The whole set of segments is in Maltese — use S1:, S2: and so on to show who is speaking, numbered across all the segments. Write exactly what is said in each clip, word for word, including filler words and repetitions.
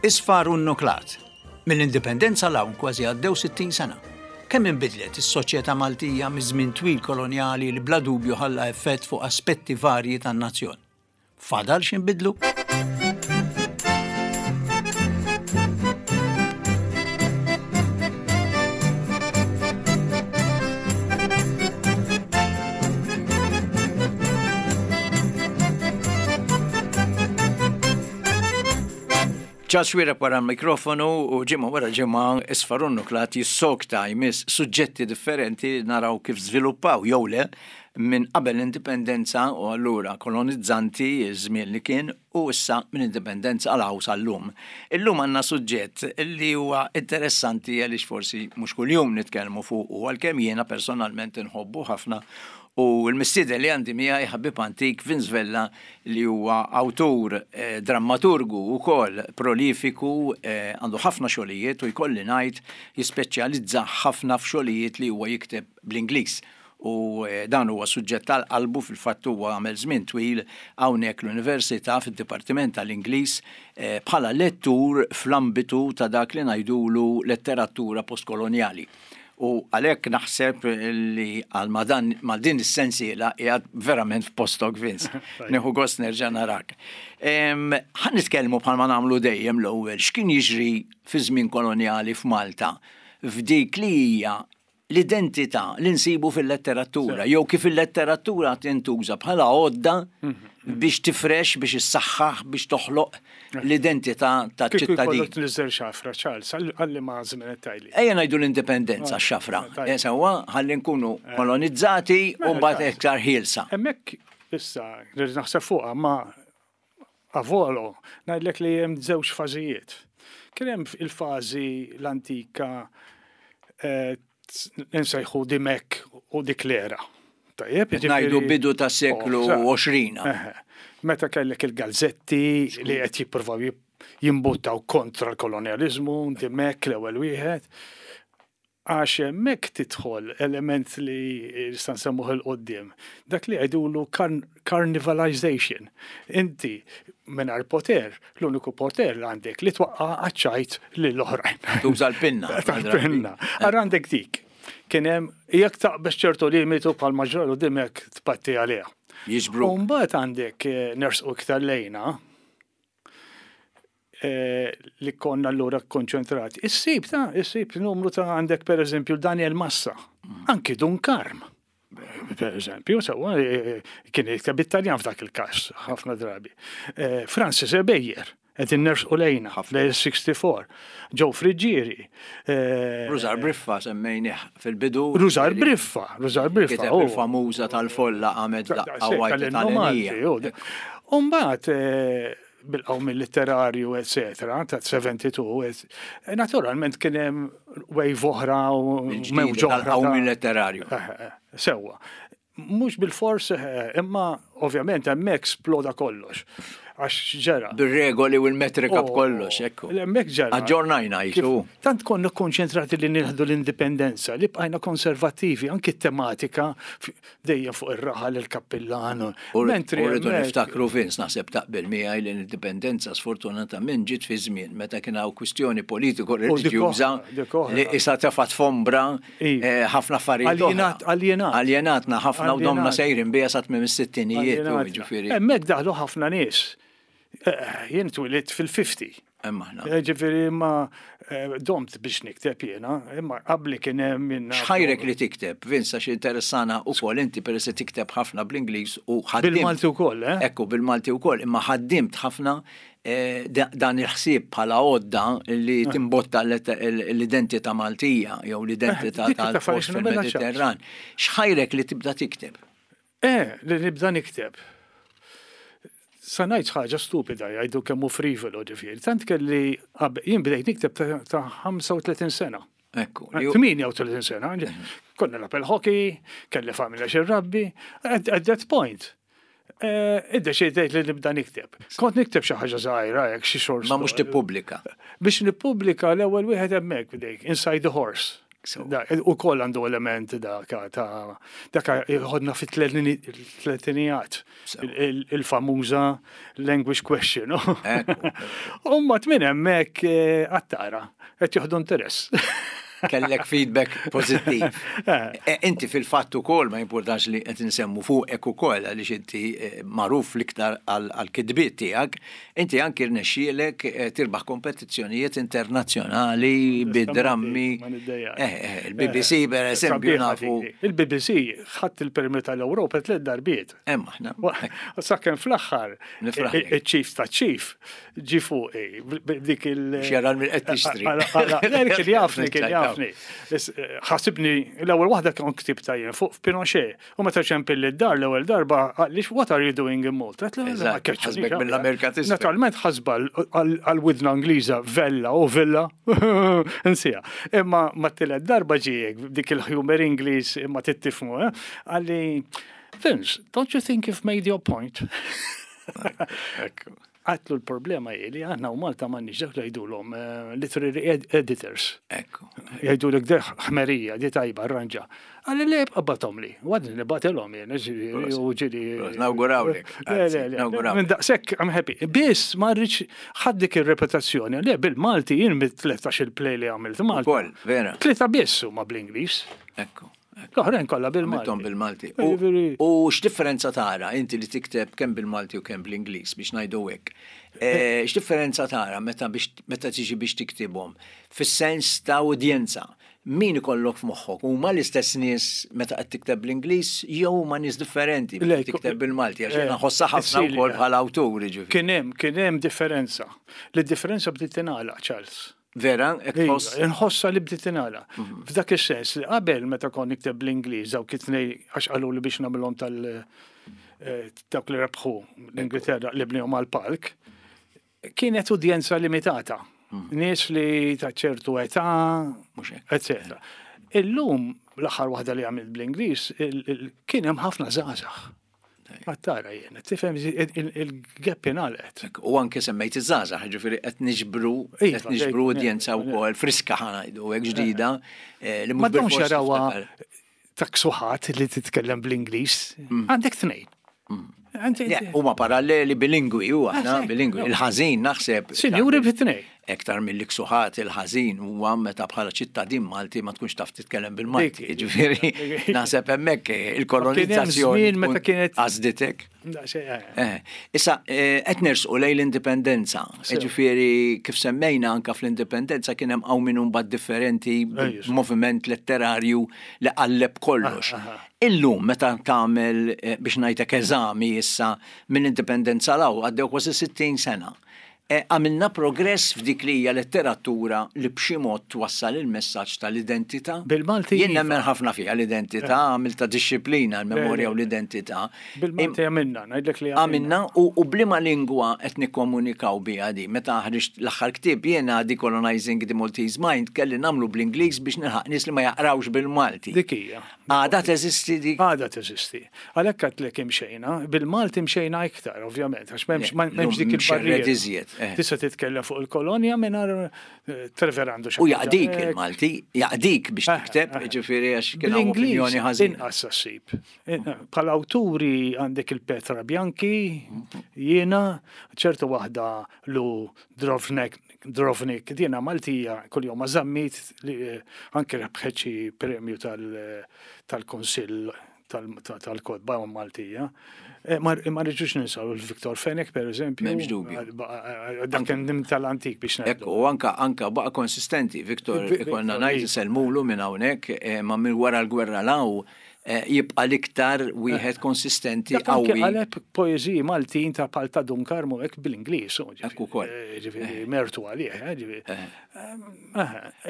S1: Isfar u nnuklat. Mill-indipendenza 'l hawn kważi għaddew sittin sena. Kemm inbidlet is-soċjetà Maltija miż-żmien twil kolonjali li bla dubju ħalla effett fuq aspetti varji tan-nazzjon? Fadal x'inbidlu? Charles Xuereb wara l-mikrofonu u ġimgħa wara ġimgħa Isfar u Nnuklat jissokta jmiss suġġetti differenti naraw kif żviluppaw jew le minn qabel l-indipendenza u allura kolonizzanti żmien li kien u issa minn indipendenza għal hawn sal-lum. Illum għandna suġġett li huwa interessanti għaliex forsi mhux kuljum nitkellmu fuq u għalkemm jiena personalment inħobbu ħafna u l-mistieden li għandi miegħi ħabib antik Vince Vella li huwa awtur, eh, drammaturgu wkoll prolifiku, eh, għandu ħafna xogħlijiet u jkolli ngħid jispeċjalizza ħafna f'xogħlijiet li huwa jikteb bl-Ingliż. U eh, dan huwa suġġett tal-qalbu fil-fatt huwa għamel żmien twil hawnhekk l-Università fid-Dipartiment tal-Ingliż eh, bħala lettur fl-ambitu ta' dak li ngħidulu letteratura postkolonjali. U għalhekk naħseb li għal ma din is-sensiela qiegħed verament f'postok Vince. Nieħu gost nerġa' narak. Ħa nitkellmu bħalma nagħmlu dejjem l-ewwel x'kien jiġri fi żmien kolonjali f'Malta f'dik li hija l-identità li nsibu fil-letteratura, jew kif il-letteratura tintuża bħala għodda biex tifrex, biex issaħħaħ, biex toħloq l-identità ta'
S2: Kieku
S1: ċittadin.
S2: jkollok tniżel xafra, Charles, għalli ma żmien tajli.
S1: Ejja ngħidu l-indipendenza xafra.
S2: tajjeb.
S1: Eh, Sewwa, ħalli nkunu kolonizzati u
S2: Mela,
S1: mbagħad
S2: Charles.
S1: iktar ħielsa.
S2: Hemmhekk issa rrid naħseb fuqha ma avolo ngħidlek li hemm żewġ fażijiet. Kien hemm il-fażi l-antika eh, nsejħu Dimech u dik l-era. Tajjeb,
S1: Ngħidu
S2: jiġifieri-
S1: bidu ta' seklu
S2: Oh, sa-
S1: għoxrin.
S2: Eħe. Meta kellek il-gazzetti li qed jippruvaw jip- jimbuttaw kontra l-kolonializmu, Dimech l-ewwel wieħed. Għax hemmhekk tidħol element li nista' nsemmuh 'il quddiem. Dak li jgħidulu carn- carnivalization. Inti mingħajr poter, l-uniku poter li għandek li twaqqa' għaċ-ċajt lill-oħrajn.
S1: Tuża l-pinna.
S2: Tal-pinna. Ara għandek dik. Kien hemm jekk taqbeż ċertu limitu bħal maġġoru Dimech tpatti għaliha.
S1: Jiġbru.
S2: U mbagħad għandek eh, nersqu iktar lejna eh, li konna allura konċentrati. Issib ta' issib numru ta' għandek per eżempju Daniel Massa, anki Dun Karm. Per eżempju, sewwa, eh, kien jikteb Italjan f'dak il-każ, ħafna drabi. Eh, Francis Ebejer, qed innersqu lejna, l-sixty-four, Joe Friggieri. eh,
S1: Rużar Briffa semmejnih fil-bidu.
S2: Rużar Briffa, Rużar Briffa.
S1: Kiteb
S2: oh.
S1: il-famuża tal-folla għamed daqqa wajta
S2: tal-Malti.
S1: tal-Enija.
S2: Umbagħad bil-qawmien letterarju, eccetera, ta' seventy-two, et- naturalment kien hemm wave oħra u mewġa oħra.
S1: Tal-qawmien letterarju.
S2: Eh, eh, Sewwa. Mhux bil-fors, eh, imma ovvjament hemmhekk sploda kollox. Għax ġera.
S1: Bir-regoli u l-metrika
S2: Oh,
S1: b'kollox, ekku.
S2: Hemmhekk ġera.
S1: Aġġornajna
S2: Kif-
S1: jisu.
S2: Tant konna konċentrati li nieħdu l-indipendenza, li bqajna konservativi, anki tematika f- dejjem fuq ir-raħal il-kappillan.
S1: U
S2: Mentri
S1: rridu
S2: hemmhekk-
S1: niftakru Vince naħseb taqbel miegħi li l-indipendenza sfortunatament ġiet fi żmien meta kien hawn kwistjoni politiko reliġjuża
S2: dik oħra, dik oħra.
S1: li issa tefat f'ombra
S2: Iva.
S1: eh, ħafna affarijiet oħra.
S2: Aljenat- aljenat.
S1: Aljenatna ħafna u domna
S2: Aljenat.
S1: sejrin bija sa tmiem is-sittinijiet u
S2: Aljenatna.
S1: jiġifieri.
S2: Hemmhekk daħlu ħafna nies. Eh, Jien twilidt fil-fifty.
S1: Imma aħna.
S2: Eh, Ġifieri ma eh, domt biex nikteb jiena, imma qabli kien hemm minna.
S1: X'ħajrek li tikteb, Vince, għax interessana ukoll inti peress li tikteb ħafna bl-Ingliż u ħaddimt.
S2: Bil-Malti wkoll, eh?
S1: Ekku, bil-Malti wkoll, imma ħaddimt ħafna eh, da- dan il-ħsieb bħala għodda li
S2: Eh.
S1: timbotta l-identità Maltija jew l-identità
S2: Eh, dik ta'
S1: tal-post
S2: affarijiet mela
S1: fil-Mediterran. X'ħajrek li tibda tikteb?
S2: Eh, li nibda nikteb. Sa ngħid ħaġa stupida jgħidu kemm hu frivolo ġifieri. Tant kelli qabel- jien bdejt nikteb ta' ta' ħamsa u tletin sena.
S1: Ekku. li hu-
S2: tmienja u tletin sena. Konna nilgħab il-hockey, kelli familja x'inrabbi. At, at that point, eh, iddeċidejt li nibda nikteb. Kont nikteb xi ħaġa żgħira hekk xi short
S1: Ma mhux
S2: story.
S1: tippubblika.
S2: Biex nippubblika l-ewwel wieħed hemmhekk bdejk, Inside the Horse. U koll għandu element daka ta' daka ħodna fit-tletinijat, il-famuża language question. U mbagħad minn hemmhekk eh, għattara, qed jieħdu interess.
S1: Kellek feedback pozittiv. Eh. E, inti fil-fatt ukoll, ma importanx li qed insemmu fuqek ukoll, għaliex inti eh, magħruf l-iktar għal-kitbiet tiegħek, inti anki rnexxielek eh, tirbaħ kompetizzjonijiet internazzjonali bid-drammi. Il-B B C, per eżempju, nafu.
S2: Il-B B C ħadd il-premju tal-Ewropa tliet darbiet.
S1: Hemm aħna.
S2: Sakemm fl-aħħar il-chief ta' chief ġi fuqi dik il-
S1: Xjaran mill-qed tixtri.
S2: Kien jafni, kien jafni. Ħasibni, l-ewwel waħda kien ktib tajjeb fuq Pinochet. U meta ċempilli d-dar l-ewwel darba, għalix, "What are you doing in Malta?"
S1: Ħasbek mill-Amerika.
S2: Naturalment ħasba għal-widna Ingliża Vella u Villa, nsija. Imma ma t-tielet darba ġiek dik il-humor Ingliż imma tittifmu, eh? Qalli, "Vince, don't you think you've made your point?" Għedtlu l-problema hi li aħna u Malta ma nix dak li jgħidulhom eh, literary editors.
S1: Ekku.
S2: Jgħidu l deħ ħmerija, di tajba, arranġa. Qalli le, ibgħathom li. Għadni nibgħatilhom jien, u ġiri.
S1: Nawgurawlek.
S2: Le, le, le. Minn daqshekk, I'm happy. Biss, ma rridx ħaddik il-reputazzjoni. Le, bil-Malti jien mit-tlettax il-play li għamilt Malta.
S1: Ukoll, vera.
S2: Tlieta biss huma bl-Ingliż.
S1: Ekku.
S2: L-oħrajn kollha bil-Malti.
S1: Bil-Malti. U x'differenza tara inti li tikteb kemm bil-Malti u kemm bl-Ingliż, biex ngħidu hekk? Eh, x'differenza tara meta meta tiġi biex tiktibhom? Fis-sens ta' udjenza. Min ikollok f'moħħok? Huma l-istess nies meta qed tikteb bl-Ingliż jew huma nies differenti meta tikteb bil-Malti? Għax jiena nħossha ħafna wkoll bħala awtur,
S2: ġifieri. Kien hemm kien hemm differenza. Li differenza bdiet tingħalaq, Charles.
S1: Vera,
S2: tħoss? Nħossa li bdiet tingħalaq. Mhm. F'dak is-sens li qabel meta kont nikteb bl-Ingliż, dawk it-tnej għax qalu li biex nagħmilhom tal eh, dawk li rebħu l-Ingilterra li bnihom għal-palk, kienet udjenza limitata. Mhm. Nies li ta' ċertu età, eccetera. Illum, l-aħħar waħda li għamilt bl-Ingliż, kien hemm ħafna żgħażagħ. Għattara jien, tifhem, il-gap ingħalqet.
S1: U anke semmejt iż-żgħażagħ, ġifieri qed niġbru qed iva, niġbru udjenza wkoll friska, ħa ngħidu hekk, ġdida.
S2: Eh, li mhux bilfors jarawha ta' ksuħat li titkellem bl-Ingliż. Mm. Għandek tnejn.
S1: Mm. Huma paralleli bilingwi, u aħna bilingwi. Il-ħażin naħseb.
S2: Sinjuri bit-tnejn.
S1: Ektar mill-ksuħat, il-ħażin huwa meta bħala ċittadin Malti ma tkunx taf titkellem bil-Malti. Ġifieri naħseb hemmhekk il-kolonizzazzjoni
S2: meta kienet
S1: għażditek. Eh, issa, eh, qed nersqu lejn l-indipendenza. Ġifieri kif semmejna anka fl-indipendenza kien hemm hawn minn mbagħad differenti, moviment letterarju li qalleb kollox. Ah, ah, ah. Illum meta tagħmel eh, biex ngħidlek eżami issa mill-indipendenza 'l hawn, għaddew kważi sittin sena. E, għamilna progress f'dik li hija letteratura li b'xi mod twassal il-messaġġ tal-identità?
S2: Bil-Malti.
S1: Jien nemmen ħafna fiha l-identità, għamilta dixxiplina l-memorja u l-identità.
S2: Bil-Malti għamilna, ngħidlek li
S1: għamilna. U b'liema lingwa qed nikkomunikaw biha di? Meta ħriġt l-aħħar ktieb jiena, Decolonizing the Maltese Mind, kelli nagħmlu bl-Ingliż biex nilħaq nies li ma jaqrawx bil-Malti.
S2: Dik hija.
S1: Għada teżisti dik?
S2: Għada teżisti. Għalhekk għedtlek imxejna, bil-Malti imxejna iktar, ovvjament, għax m'hemmx dik
S1: il-barriera.
S2: Eh. Tista' titkellem fuq il-kolonja mingħajr eh, Trevor għandu
S1: U jaqdik il-Malti, jaqdik biex eh, tikteb, ġifieri għax kien opinjoni ħażin.
S2: Inqas ssib. Bħala awturi għandek il-Petra Bianchi, jiena, ċertu waħda lu Drovnek, Drovnik, dina Maltija, kull-jum Zammit, li anke rebħet xi premju tal-Konsill tal-Kotba Maltija. Eh, ma rridux ninsaw il-Victor Fenech, per eżempju.
S1: M'hemmx dubju.
S2: Dak kien tal-antik biex
S1: ngħidu. Ekku, u anka anka baqa konsistenti, Victor, ikonna ngħid sellmulu minn hawnhekk, eh, ma minn wara l-gwerra 'l hawn eh, jibqa l-iktar wieħed konsistenti,
S2: qawwi. Qaleb poeżiji Maltin ta' Palta Dun Karmu hekk bil-Ingliż.
S1: Ekku ukoll.
S2: Ġifieri mertu għalih, ġifieri.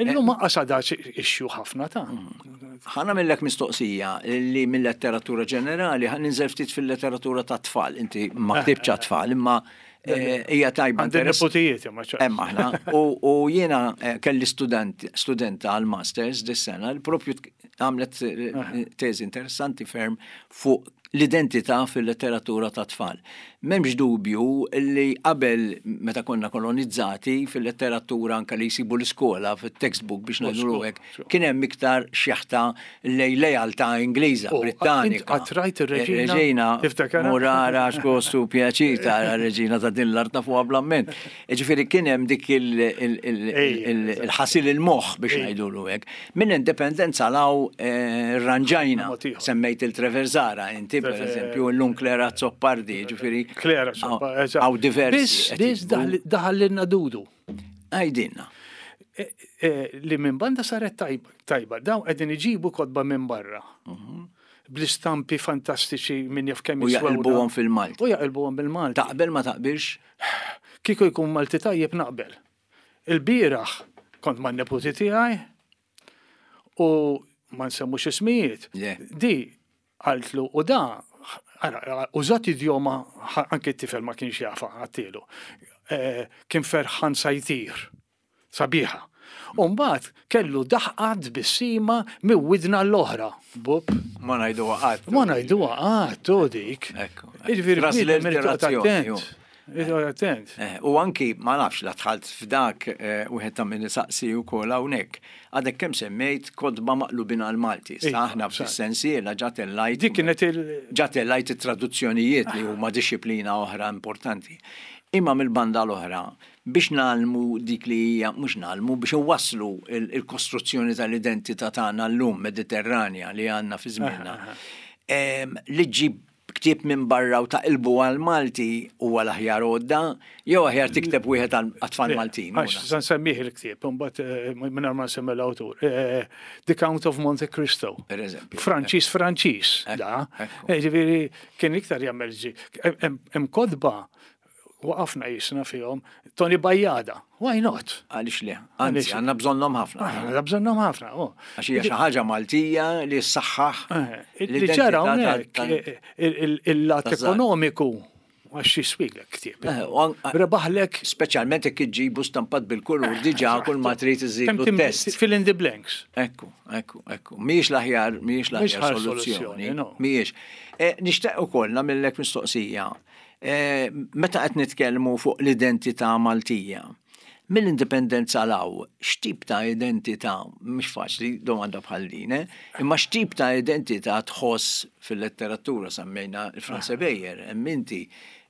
S2: Illum ma qasada issue ħafna ta'
S1: mm. Ħa nagħmillek mistoqsija li mill-letteratura ġenerali ħa ninżel ftit fil-letteratura ta' tfal. Inti ma ktibx tfal, imma eh, hija tajba.
S2: Għandi niputijiet,
S1: ma Hemm aħna. U jiena eh, kelli student studenta għal masters dis-sena li propju għamlet eh, teżi interessanti ferm fuq L-identità fil-letteratura ta' tfal. M'hemmx dubju li qabel, meta konna kolonizzati, fil-letteratura anka li jsibu l-iskola, fil-textbook biex ngħidu hekk, kien hemm iktar xeħta lej lealtà Ingliża, Brittanika.
S2: Qatt rajt ir-Reġina?
S1: Reġina, murara x'gostu pjaċir ta' reġina ta' din l-art fuq bl-amment. Ġifieri kien hemm dik il-ħasil il-moħħ biex ngħidulu hekk. Minn indipendenza 'l hawn eh, ranġajna, semmejt lil Trevor Zahra, inti per eżempju, l-lum Clare Azzopardi, ġifieri.
S2: Clare Azzopardi.
S1: Hawn diversi.
S2: Biss daħal dudu.
S1: Għajdinna.
S2: E, e, li minn banda saret tajba, dawn qegħdin iġibu kotba minn barra. Mhm. Bl-istampi fantastiċi minn jaf kemm
S1: U jaqilbuhom fil-Malti.
S2: U jaqilbuhom bil-Malti.
S1: Taqbel ma taqbilx?
S2: Kieku jkun Malti tajjeb naqbel. Il-bieraħ kont ma' neputi tiegħi u ma nsemmux ismijiet. Di qaltlu u da użat idjoma anke t-tifel ma kienx jafa għattilu. Eh, kien ferħan sa jtir, sabiħa. Umbat kellu daħqa tbissima minn widna l-oħra. Bup.
S1: Ma ngħidu qatt.
S2: Ma ngħidu qatt, u dik.
S1: Jiġifieri
S2: Traslitterazzjoni. Attent.
S1: Eh, u anki, ma nafx, la dħalt f'dak, eh, wieħed ta' min saqsi u kol hawnhekk. Għadek kemm semmejt kotba maqlubin għal-Malti. Sa aħna fis-sensiela ġa tellajt.
S2: Dik kienet il-
S1: Ġa tellajt it-traduzzjonijiet li huma disciplina oħra importanti. Imma mill-banda l-oħra, biex ngħallmu dik li hija, mhux ngħallmu, biex iwasslu il-kostruzzjoni tal-identità tagħna llum Mediterranja li għandna fi żmienna. Li ġib ktieb minn barra u taqilbu għal-Malti huwa l-aħjar għodda, jew aħjar tikteb wieħed għat-tfal Maltin.
S2: Għax, sa nsemmih il-ktieb, mbagħad eh, minn ma nsemmi l-awtur. Eh, The Count of Monte Cristo.
S1: Per eżempju.
S2: Franċis Franċis, da. Eh, ġifieri kien iktar jagħmel ġi. Hemm kotba waqafna jisna fihom Toni Bajada. Why not?
S1: Għaliex le? Anzi, għandna bżonnhom ħafna.
S2: Għandna bżonnhom ħafna. Oh.
S1: Għax hija xi ħaġa Maltija li ssaħħaħ.
S2: Li ġara hawnhekk il-lat ekonomiku għax jiswiglek ktieb. Rebaħlek.
S1: Speċjalment jekk iġġibu stampat bil-kulur, diġà kull ma trid iżidu test.
S2: Fill in the blanks.
S1: Ekku, ekku, ekku. Mhijiex l-aħjar, mhijiex l-aħjar soluzzjoni. Mhijiex. Nixtieq ukoll nagħmellek mistoqsija. Meta qed nitkellmu fuq l-identità Maltija, mill-indipendenza 'l hawn, x'tip ta' identità, mhux faċli domanda bħal din, eh? Imma x'tip ta' identità tħoss fil-letteratura? Semmejna il-Frans Ebejer, hemm inti,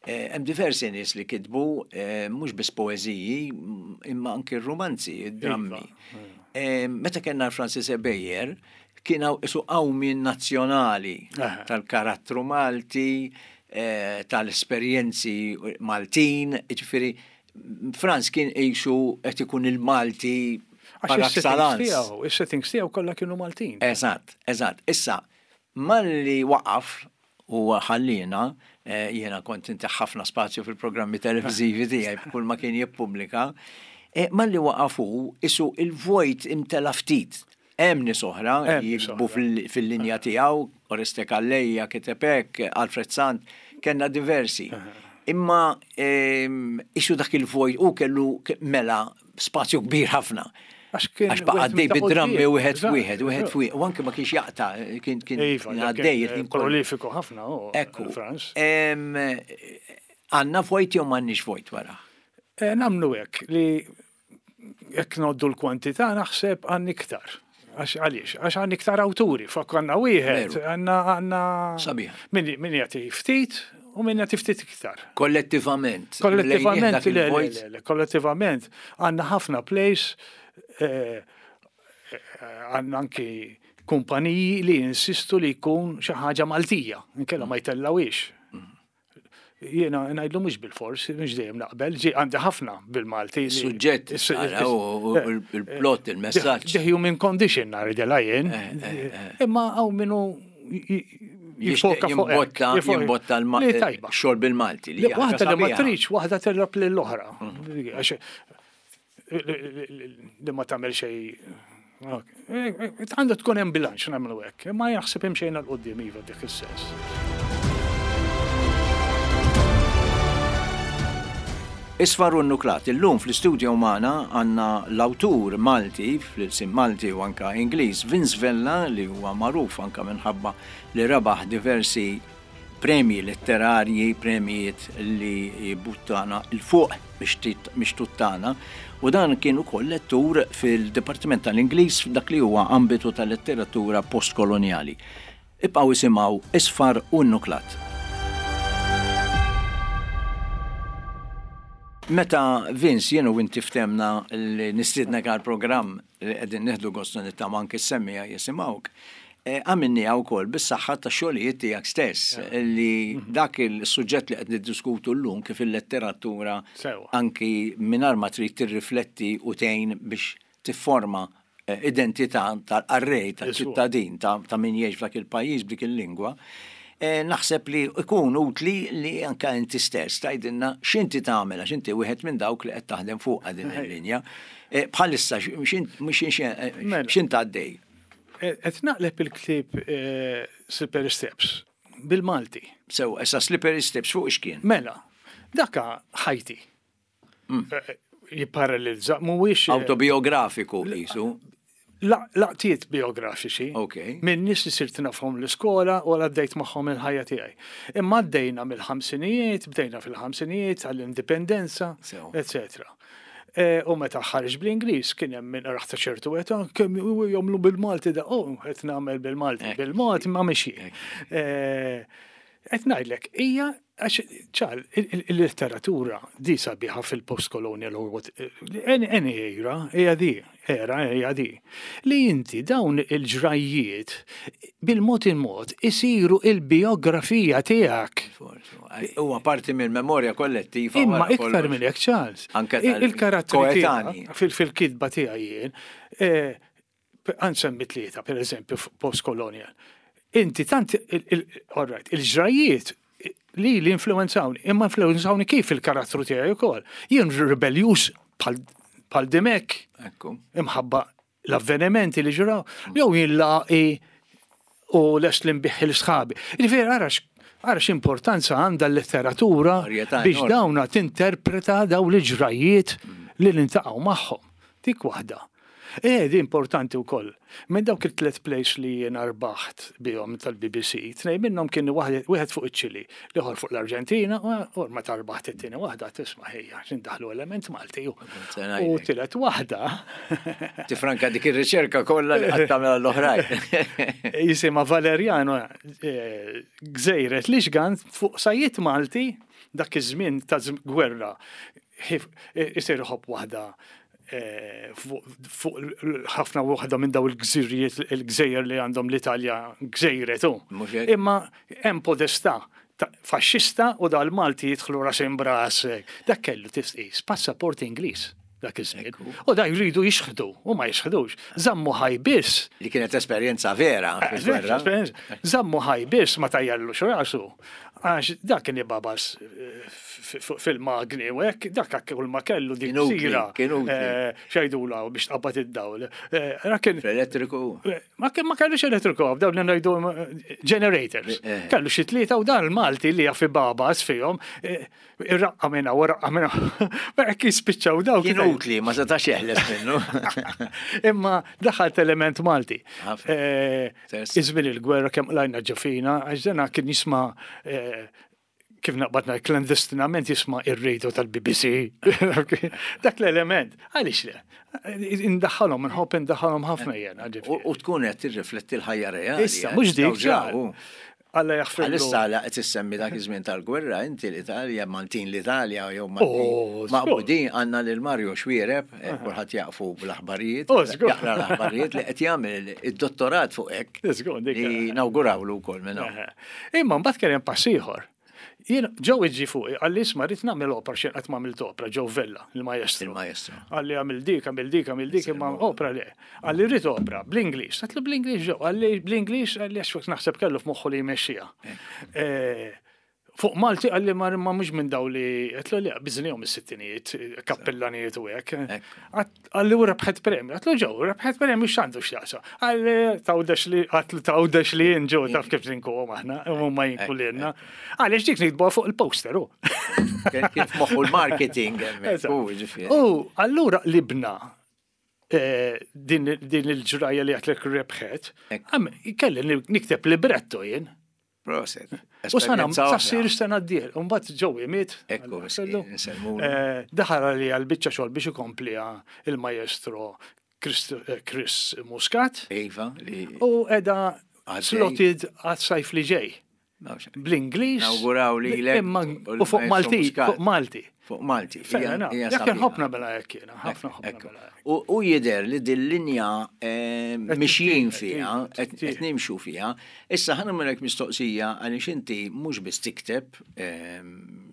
S1: eh, hemm diversi nies li kitbu eh, mhux biss poeżiji, imma anki romanzi, drammi. Iva. Meta kellna l-Francis Ebejer, kien isu qawmien nazzjonali tal-karattru Malti, tal-esperjenzi Maltin, ġifieri Frans kien qisu qed ikun il-Malti par excellence.
S2: Is-settings tiegħu kollha kienu Maltin.
S1: Eżatt, eżatt. Issa, malli waqaf u ħallina, eh, jiena kont inti ħafna spazju fil-programmi televizivi tiegħi kull ma kien jippubblika, eh, malli waqafu isu il-vojt imtela ftit. Hemm nies oħra jiktbu fil-linja tiegħu, Oreste Calleja, kiteb hekk, Alfred Sant, kellna diversi. Imma isu dak il-vojt u kellu mela spazju kbir ħafna. Għax baqa għaddej bid-drammi wieħed f'wieħed, wieħed f'wieħed, u anke ma kienx jaqta, kien kien
S2: iva,
S1: għaddej.
S2: Prolifiku ħafna,
S1: Ekku. Għandna vojt jew m'għandniex vojt wara?
S2: Eh, nagħmlu hekk li jekk ngħoddu l-kwantità naħseb għandna iktar. Għax għaliex, għax għandna iktar awturi, flok għandna wieħed, għandna għandna.
S1: Sabiħ.
S2: Min jagħti ftit u min jagħti ftit iktar.
S1: Kollettivament.
S2: Kollettivament, le, le, kollettivament għandna ħafna plays, eh, għandna anki kumpaniji li insistu li jkun xi ħaġa Maltija, inkella ma jtellawix. Jiena ngħidlu mhux bil-fors, mhux dejjem naqbel, ġi għandi ħafna bil-Malti.
S1: Suġġett, il-plot, il-messaġġ.
S2: The human condition ngħidilha jien. Imma hawn minnu jifoka fuq
S1: Jimbotta l-xogħol bil-Malti.
S2: Waħda li ma tridx, waħda terrab lill-oħra. Li ma tagħmel xejn. Għandha tkun hemm bilanċ nagħmlu hekk, imma jaħseb hemm xejn 'l quddiem iva dik is-sens.
S1: Isfar u Nuklat, illum fl-studio magħna għandna l-awtur Malti, fl-ilsien Malti u anka Ingliż, Vince Vella, li huwa magħruf anka minħabba li rebaħ diversi Premji letterarji, premjijiet li jbuttana 'l fuq biex tuttana, u dan kien ukoll lettur fil-Dipartiment tal-Ingliż f'dak li huwa ambitu tal-letteratura postkoloniali. Ibqgħu isimgħu Isfar u Nuklat. Meta Vince, jien u inti ftemna li nistiednek għal programm li qegħdin nieħdu gost nittama anke s-semmiegħa jisimgħuk, għamilniha wkoll bis-saħħa tax-xogħlijiet tiegħek stess, li dak il-suġġett li qed niddiskutu llum kif il-letteratura anki mingħajr ma trid tirrifletti u tgħin biex tifforma identità tal-qarrej, tal-ċittadin, ta' min jgħix f'dak il-pajjiż b'dik il-lingwa. Naħseb li ikun utli li anka inti stess tgħidilna x'inti tagħmel, għax inti wieħed minn dawk li qed taħdem fuq din il-linja. Bħalissa x'int għaddej?
S2: Qed naqleb il-ktieb Slippery Steps bil-Malti.
S1: Sew, issa Slippery Steps fuq x'kien?
S2: Mela, daka ħajti. Jipparallelizza, mhuwiex
S1: autobiografiku qisu.
S2: Laqtiet biografiċi.
S1: Okay.
S2: Minn nies li sirt nafhom l-iskola u għaddejt magħhom il-ħajja tiegħi. Imma għaddejna mill-ħamsinijiet, bdejna fil-ħamsinijiet għall-indipendenza, eccetera. U meta ħareġ bl-Ingliż kien hemm min raħ ta' ċertu età kemm jagħmlu bil-Malti da, oh, qed nagħmel bil-Malti, bil-Malti ma mixi. Qed ngħidlek, hija għax ċal il-letteratura di sabiħa fil-postkolonial any era, hija di, era hija di. Li inti dawn il-ġrajjiet bil-mod il-mod isiru il-biografija tiegħek.
S1: Huwa parti mill-memorja kollettiva.
S2: Imma iktar minn hekk, Charles. Il-karattri fil-kitba tiegħi jien, għansemmi tlieta, per eżempju, postkolonial. Inti tant, il-ġrajjiet li li influenzawni, imma influenzawni kif il-karattru tiegħi wkoll. Jien rebeljuż bħal Dimek, imħabba l-avvenimenti li ġraw, jew jien laqi u lest li nbiħ il-sħabi. Jiġifieri ara x'importanza għandha l-letteratura biex dawna tinterpreta daw l-ġrajjiet li nintaqgħu magħhom. Dik waħda. Eh, di importanti wkoll. Minn dawk il-tlet plays li jiena rbaħt bihom tal-B B C, tnejn minnhom kienu wieħed fuq iċ-Ċili, l-ieħor fuq l-Arġentina, u meta rbaħt it-tieni waħda tisma' ħejja, x'indaħlu element Malti. U tielet waħda.
S1: Tifranka dik ir-riċerka kollha li qatt tagħmel l-oħrajn.
S2: Jisimha Valeriano Gżejret Lixgan fuq sajjiet Malti dak iż-żmien ta' gwerra. Isir iħobb waħda fuq ħafna waħda minn daw il-gżirijiet, il-gżejjer li għandhom l-Italja gżejret hu. Imma hemm podestà faxxista u dal-Malti jidħlu ras imbras. Dak kellu tisqis passaport Ingliż dak iż-żmien. U da jridu jixħdu u ma jixħdux. Żammu ħaj biss.
S1: Li kienet esperjenza vera fil-gwerra.
S2: Żammu ħaj biss ma tajjallux rasu. Għax dak kien ibabas fil-magni u hekk, dak kull ma kellu dik sira. Xejdula biex tqabbad id-dawl.
S1: Elettriku.
S2: Ma kellux elettriku, dawn li ngħidu generators. Kellu xi tlieta u dan il-Malti li jaf ibabas fihom, irraqqa minna u raqqa minna. Hekk jispiċċaw dawk.
S1: Kien utli, ma setax jeħles minnu.
S2: Imma daħalt element Malti. Iż-żmien il-gwerra kemm qlajna ġofina, għax dana kien jisma' kif naqbadna klandestinament jisma' ir-radio tal-B B C. Dak l-element. Għaliex le? Indaħħalhom, inħobb indaħħalhom ħafna jien.
S1: U tkun qed tirrifletti l-ħajja reali.
S2: Issa, mhux dik ġar. Alla jaħfirlu.
S1: Għalissa la qed issemmi dak iż-żmien tal-gwerra, inti l-Italja, Maltin l-Italja jew Maltin. Maqbudin għandna lil Mario Xuereb, kulħadd jaqfu bl-aħbarijiet, jaqra l-aħbarijiet li qed jagħmel id-dottorat fuq hekk. Li nawgurawlu wkoll minn hawn.
S2: Imma mbagħad kien hemm pass ieħor. Jien ġew iġi fuqi, qalli isma' rrid nagħmel opra xejn qatt m'għamilt opra, Joe Vella, il-maestro.
S1: Il-maestro.
S2: Qalli għamil dik, għamil dik, għamil dik, imma opra le. Qalli rrid opra bl-Ingliż. Għatlu bl-Ingliż ġew, qalli bl-Ingliż, qalli għax naħseb kellu f'moħħu li jmexxiha. Fuq Malti qalli ma mhux minn daw li għatlu li biżnihom is-sittinijiet, kappellanijiet u hekk. Qalli u rebħet premju, għatlu ġew, rebħet premju x'għandu x'jaqsa. Qalli tawdex li għatlu tawdex li jien ġew taf kif ninkuhom aħna, huma jinku lilna. Għaliex dik nikdbuha fuq il-poster hu.
S1: Kif moħħu l-marketing hemmhekk.
S2: U allura libna din il-ġrajja li għatlek rebħet, kelli nikteb libretto jien.
S1: Proset.
S2: U sana, sassir sena d-dieħla, mbagħad Joey miet.
S1: Ekku,
S2: eh, daħal li għal-biċċa xogħol biex ikomplija il-maestro eh, Chris Muscat.
S1: Iva.
S2: U edha slotted għas-sajf li ġej. Bl-Ingliż.
S1: Nawguraw li
S2: U fuq Malti, fuq Malti.
S1: Fuq Malti.
S2: Jekk ħobna bela jekk jiena, ħafna ħobna bela.
S1: U jidher li dil-linja eh, mixjin fiha, qed nimxu fiha. Issa ħa nagħmellek mistoqsija għaliex inti mhux biss tikteb eh,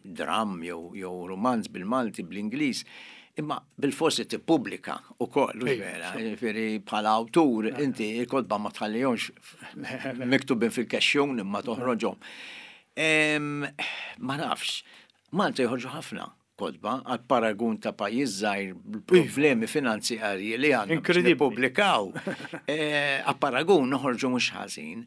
S1: dram jew romanz bil-Malti, bl-Ingliż, imma bil-forsi tippubblika ukoll, vera, ġifieri bħala awtur inti il-kotba ma tħallihomx miktubin fil-kexxun imma toħroġhom. Ma nafx, Malta joħorġu ħafna kotba għal paragun ta' pajjiż żgħir problemi finanzjarji li għandna nippubblikaw. Eh, għal paragun noħorġu mhux ħażin.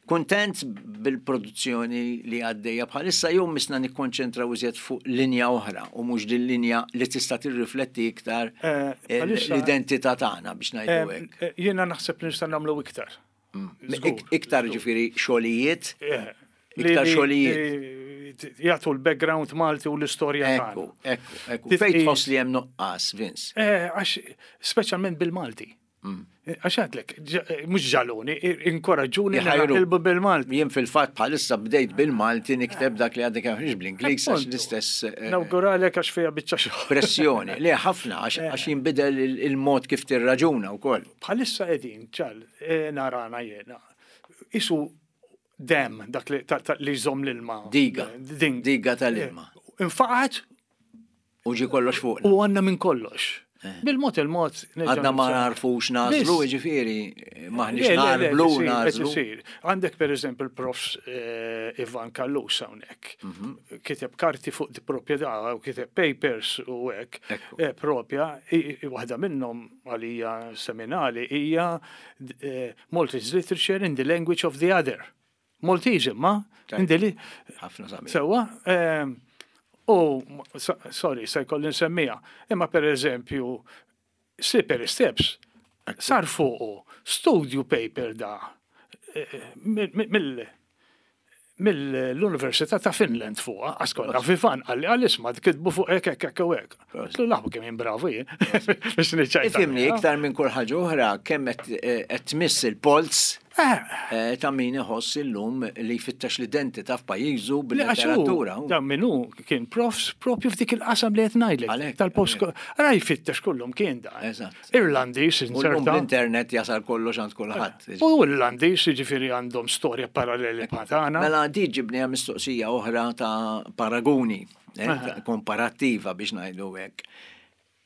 S1: Kuntent bil-produzzjoni li għaddejja bħalissa jew misna nikkonċentraw iżjed fuq linja oħra u mhux din linja li tista' tirrifletti iktar
S2: eh,
S1: l-identità tagħna biex ngħidu hekk?
S2: Eh, jiena naħseb li nista' nagħmlu iktar.
S1: Mm. Iktar ġifieri xogħlijiet? Iktar xogħlijiet.
S2: Jagħtu l-background Malti u l-istorja
S1: tagħna. Ekku, ekku, ekku. Fejn tħoss li hemm nuqqas, Vince?
S2: Eh, għax speċjalment bil-Malti. Mm. Għax għedtlek, mhux ġaluni, inkoraġġuni nilbu bil-Malti.
S1: Jien fil-fatt bħalissa bdejt bil-Malti nikteb dak li għadek għamx bl-Ingliż għax l-istess.
S2: Eh, Nawguralek għax fija biċċa xogħol.
S1: Pressjoni, le ħafna għax jinbidel il-mod kif tirraġuna wkoll.
S2: Bħalissa qegħdin ċal eh, narana jiena. Isu dam dak li jżomm l-ilma.
S1: Diga. Diga tal-ilma.
S2: Infaqat.
S1: U ġi kollox fuq.
S2: U għandna minn kollox. Eh. Bil-mod il-mod.
S1: Għadna ma narfux nażlu, ġifieri, maħniex narblu nażlu.
S2: Għandek per eżempju il-prof eh, Ivan Callus hawnhekk. Mhm. Kiteb karti fuq di proprjetà u kiteb papers u hekk eh, propja, waħda minnhom għalija seminali hija Maltese Literature in the Language of the Other. Maltese imma.
S1: Ħafna sabiħ.
S2: Sewwa, U, sorry, se jkolli nsemmija, imma per eżempju, Slippery Steps, sar fuqu studio paper da eh, mill mill-Università ta' Finland fuqa, għaskonna Vivan, għalli għal-isma, kitbu fuq ek, ek, ek, ek. Tlu laħbu kemm bravu jien.
S1: Biex niċċajta. Ifhimni, iktar minn kull ħaġa oħra, kemm qed tmiss il-polz eh. eh, ta' min iħoss illum li jfittex l-identità f'pajjiżu bil-letteratura.
S2: Dan minnu kien profs propju f'dik il-qasam li qed ngħidlek. Tal-post. Ara jfittex kullum kien da.
S1: Eżatt.
S2: Irlandiż
S1: inserta. L-internet jasal kollox għand kulħadd.
S2: U Irlandiż jiġifieri għandhom storja paralleli ma' tagħna.
S1: Mela di ġibni mistoqsija oħra ta' paraguni, eh, komparattiva biex ngħidu hekk.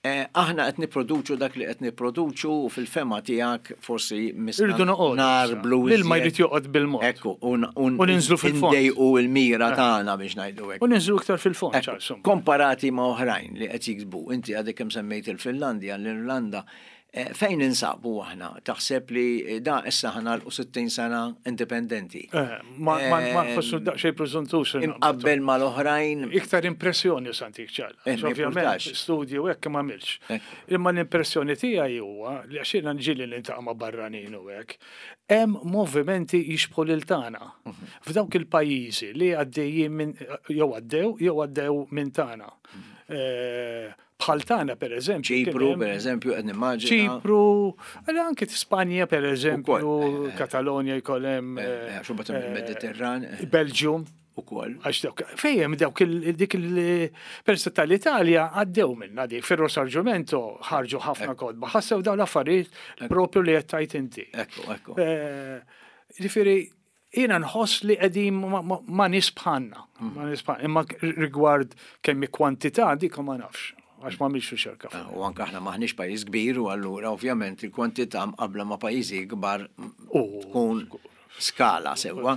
S1: Eh, aħna qed nipproduċu dak li qed nipproduċu u fil-fehma tiegħek forsi
S2: Irridu noqogħdu.
S1: Narblu.
S2: L-ilma jrid joqgħod bil-mod.
S1: Ekku,
S2: u ninżlu fil-fond.
S1: Indejqu l-mira eh. tagħna biex ngħidu hekk.
S2: U ninżlu iktar fil-fond.
S1: Komparati ma' oħrajn li qed jiksbu, inti għadek kemm semmejt il-Finlandja, l-Irlanda, eh, fejn ninsabu aħna? Taħseb li da issa ħa nagħlqu sittin sena indipendenti?
S2: Ma nħossu daqsxejn preżuntus.
S1: Imqabbel mal-oħrajn.
S2: Iktar impressjoni santik ċal. Ovvjament, studju hekk ma għamilx. Imma l-impressjoni tiegħi huwa li għax jiena ġieli niltaqa' ma' barranin u hekk, hemm movimenti jixbħu lil tagħna. Mhm. F'dawk il-pajjiżi li għaddejjin minn jew għaddew jew għaddew minn tagħna. Mhm. Eh, bħal tagħna per eżempju.
S1: Ċipru, per eżempju, qed nimmaġina.
S2: Ċipru, għal anke Spanja per eżempju, eh, eh. Katalonja jkollem.
S1: Mediterran.
S2: Belgium.
S1: Ukoll.
S2: Għax dawk, fejjem dawk dik il-persa tal-Italja għaddew minna dik, fir-Risorgimento ħarġu ħafna kotba, ħassew dawn l-affarijiet propju li qed tajt inti.
S1: Ekku, ekku.
S2: Ġifieri, jiena nħoss li qegħdin ma nies bħalna, ma nies bħalna, imma rigward kemm kwantità dik ma nafx għax ma mhix riċerka.
S1: U anke aħna maħniex pajjiż kbir u allura ovvjament il-kwantità mqabbla ma' pajjiżi kbar tkun skala sewwa.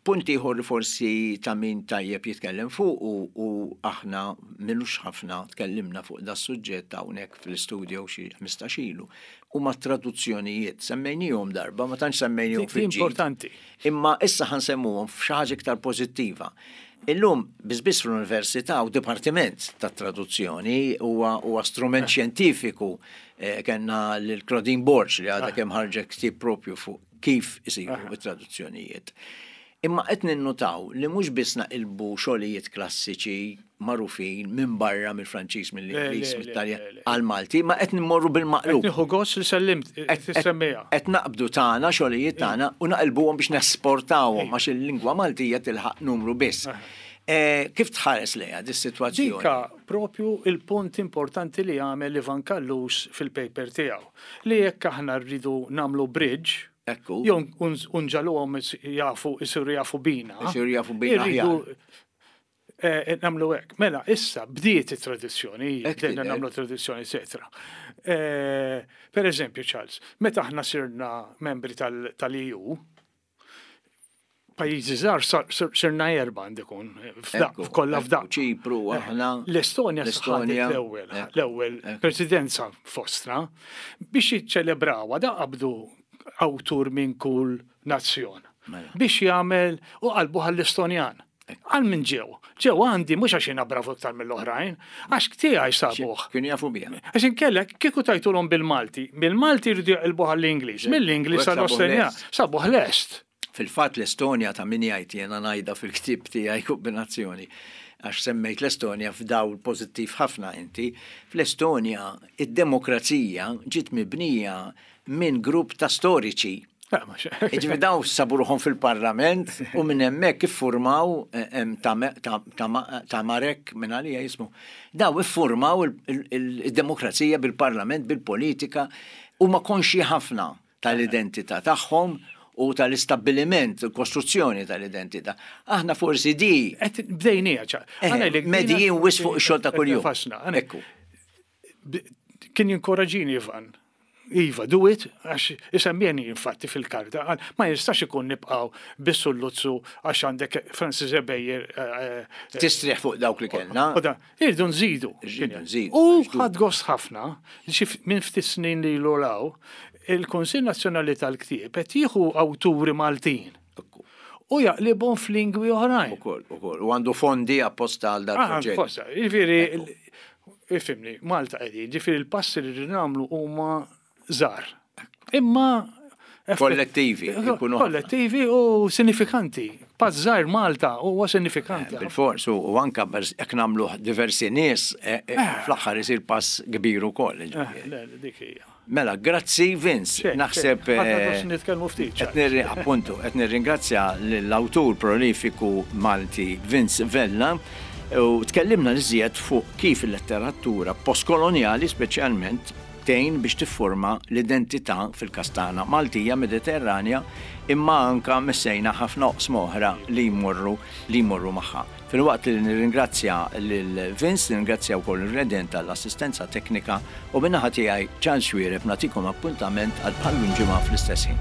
S1: Punt ieħor li forsi ta' min tajjeb jitkellem fuq u, u aħna m'ilux ħafna tkellimna fuq da suġġett hawnhekk fil-studio xi ħmistax ilu huma traduzzjonijiet. Semmejnihom darba, ma tantx semmejnihom fil
S2: Importanti.
S1: Imma issa ħa nsemmuhom f'xi ħaġa iktar pożittiva. Illum, biss fl-università u dipartiment ta' traduzzjoni huwa huwa strument xjentifiku eh, kellna l-Claudine Borg li għadha kemm ħarġet ktieb propju fuq kif isiru it-traduzzjonijiet. Imma qed ninnutaw li mhux biss naqilbu xogħlijiet klassiċi magħrufin minn barra, mill-Franċiż, mill-Ingliż,
S2: Le, le,
S1: mit-Taljan
S2: le, le.
S1: għal-Malti, ma qed nimmorru bil-maqlub.
S2: Nieħu gost li sellimt tissemmija.
S1: Qed naqbdu tagħna, xogħlijiet tagħna, u naqilbuhom biex nesportawhom għax il-lingwa Maltija tilħaq numru biss. Eh, Kif tħares lejha dis-sitwazzjoni?
S2: Dika propju il-punt importanti li għamel Ivan Callus fil-paper tiegħu. Li jekk aħna rridu nagħmlu bridge,
S1: Ekku.
S2: jew nġagħluhom jafu, isiru jafu bina.
S1: Isiru jafu bina.
S2: Irridu eh, nagħmlu hekk. Mela, issa bdiet it-tradizzjoni,
S1: Hekk
S2: bdejna
S1: tidher.
S2: nagħmlu tradizzjoni, eccetera. Eh, Per eżempju, Charles, meta aħna sirna membri tal- tal-E U, pajjiżi żgħar sar- sir- sirna erba' għandikun,
S1: Ekku,
S2: kollha
S1: ekku,
S2: f'daqqa.
S1: Ċipru, aħna.
S2: L-Estonja
S1: L-Estonja,
S2: ħadet l-ewwel,
S1: ekku,
S2: l-ewwel
S1: ekku.
S2: presidenza fostna biex jiċċelebrawha da qabdu awtur minn kull nazzjon.
S1: Mela.
S2: Biex jagħmel u qalbu għall-Estonjan. Għal minn ġew. Ġew għandi mhux għax jiena bravu iktar mill-oħrajn, għax tiegħi sabuh.
S1: Kienu jafu biha.
S2: Għax inkella kieku tajtulhom bil-Malti, bil-Malti jridu jaqilbuh għall-Ingliż, mill-Ingliż
S1: U hekk sabuh
S2: għall-Estonjan,
S1: lest.
S2: sabuh lest.
S1: Fil-fatt l-Estonja, ta' min jgħid, jena ngħidha fil-ktib tiegħi Kombinazzjoni, għax semmejt l-Estonja f'dawl pożittiv ħafna inti, fl-Estonja id-demokrazija ġiet mibnija minn grupp ta' storiċi.
S2: La, ma xe-
S1: Ġifieri daw sabu ruħhom fil-parlament u minn hemmhekk iffurmaw eh, em, ta' ta' ta' ta' Marek minn għalija jismu. Daw iffurmaw il- il- il-demokrazija bil-parlament, bil-politika, u ma konxi ħafna tal-identità tagħhom u tal-istabbiliment, il-kostruzzjoni tal-identità. Aħna forsi di
S2: Qed bdejnija ċa.
S1: Eh, medijin wisq fuq ix-xogħol ta' kuljum.
S2: Fasna. Għana-
S1: Ekku.
S2: b- Kien jinkoraġini Ivan. Iva, do it, għax isemmjeni infatti fil-karta, għal, ma jistax ikun nibqaw bis-sulluzzu għax għandek Francis Ebejer. eh, eh,
S1: Tistrieħ fuq dawk li kellna.
S2: U da, irridu nżidu.
S1: Irridu nżidu,
S2: U
S1: għax du-
S2: ħadt gost ħafna, xi f- minn ftit snin li l il-Kunsill Nazzjonali tal-Ktieb qed jieħu awturi Maltin
S1: Ekku.
S2: u jaqlibhom f'lingwi oħrajn.
S1: Ukoll, ukoll. U għandu fondi apposta għal dal
S2: Ah,
S1: proġett.
S2: forsa, ġifieri, ifhimni, Malta qegħdin, ġifieri l-passi li rridu nagħmlu huma żgħar. Imma effett-
S1: Kollettivi, ikunu ħafna.
S2: Kollettivi u sinifikanti. Pass żgħir Malta huwa sinifikanti.
S1: Bil-fors, u u anka bers- jekk nagħmlu diversi nies, eh, eh, fl-aħħar isir pass kbir ukoll.
S2: Eh,
S1: Ġifieri.
S2: Le, le, dik hija.
S1: Mela, grazzi Vince,
S2: Xejn,
S1: naħseb.
S2: xejn. Ħadna
S1: eh,
S2: gost nitkellmu ftit,
S1: qed nirri- Appuntu, qed nirringrazzja l-awtur prolifiku Malti Vince Vella u tkellimna iżjed fuq kif il-letteratura postkoloniali speċjalment tgħin biex tifforma l-identità fil-każ tagħna Maltija Mediterranja, imma anka messejna ħafna oqsma oħra li jmorru li jmorru magħha. Filwaqt li nirringrazzja lil Vince, nirringrazzja wkoll il-Redent tal-assistenza teknika, u min-naħa tiegħi Charles Xuereb nagħtikom appuntament għal bħal ġimgħa fl-istess ħin.